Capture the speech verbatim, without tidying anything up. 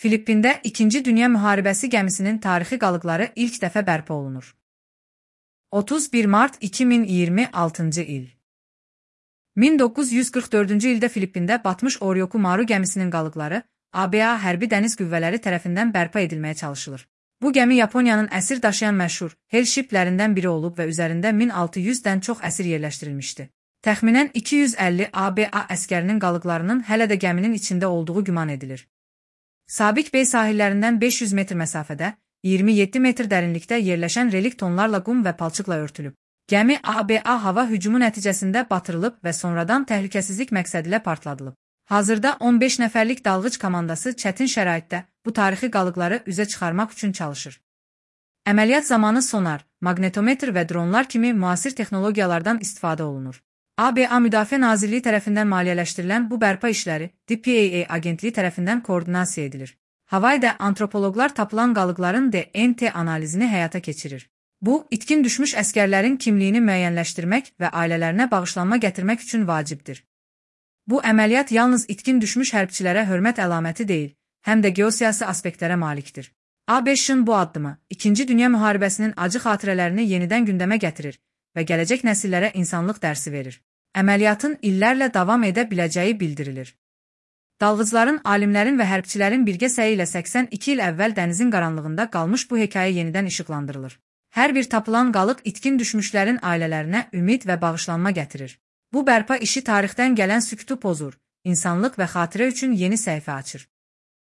Filippində İkinci Dünya Müharibəsi gəmisinin tarixi qalıqları ilk dəfə bərpa olunur. otuz bir mart iki min iyirmi altıncı il. min doqquz yüz qırx dördüncü ildə Filippində batmış Oryoku Maru gəmisinin qalıqları A B A hərbi dəniz qüvvələri tərəfindən bərpa edilməyə çalışılır. Bu gəmi Yaponiyanın əsir daşıyan məşhur Hell Ship-lərindən biri olub və üzərində min altı yüzdən çox əsir yerləşdirilmişdi. Təxminən iki yüz əlli A B A əskərinin qalıqlarının hələ də gəminin içində olduğu güman edilir. Sabik Bey sahillərindən beş yüz metr məsafədə, iyirmi yeddi metr dərinlikdə yerləşən relik tonlarla qum və palçıqla örtülüb. Gəmi A B A hava hücumu nəticəsində batırılıb və sonradan təhlükəsizlik məqsədilə partladılıb. Hazırda on beş nəfərlik dalğıc komandası çətin şəraitdə bu tarixi qalıqları üzə çıxarmaq üçün çalışır. Əməliyyat zamanı sonar, maqnetometr və dronlar kimi müasir texnologiyalardan istifadə olunur. A B A Müdafiə Nazirliyi tərəfindən maliyyələşdirilən bu bərpa işləri D P A A agentliyi tərəfindən koordinasiya edilir. Havayda antropoloqlar tapılan qalıqların D N A analizini həyata keçirir. Bu, itkin düşmüş əskərlərin kimliyini müəyyənləşdirmək və ailələrinə bağışlanma gətirmək üçün vacibdir. Bu əməliyyat yalnız itkin düşmüş hərbçilərə hörmət əlaməti deyil, həm də geosiyasi aspektlərə malikdir. A B Ş-ın bu addımı İkinci Dünya Müharibəsinin acı xatirələrini yenidən gündəmə gətirir və gələcək nəsillərə insanlıq dərsi verir. Əməliyyatın illərlə davam edə biləcəyi bildirilir. Dalğıcların, alimlərin və hərbçilərin birgə səyi ilə səksən iki il əvvəl dənizin qaranlığında qalmış bu hekayə yenidən işıqlandırılır. Hər bir tapılan qalıq itkin düşmüşlərin ailələrinə ümid və bağışlanma gətirir. Bu bərpa işi tarixdən gələn sükutu pozur, insanlıq və xatirə üçün yeni səhifə açır.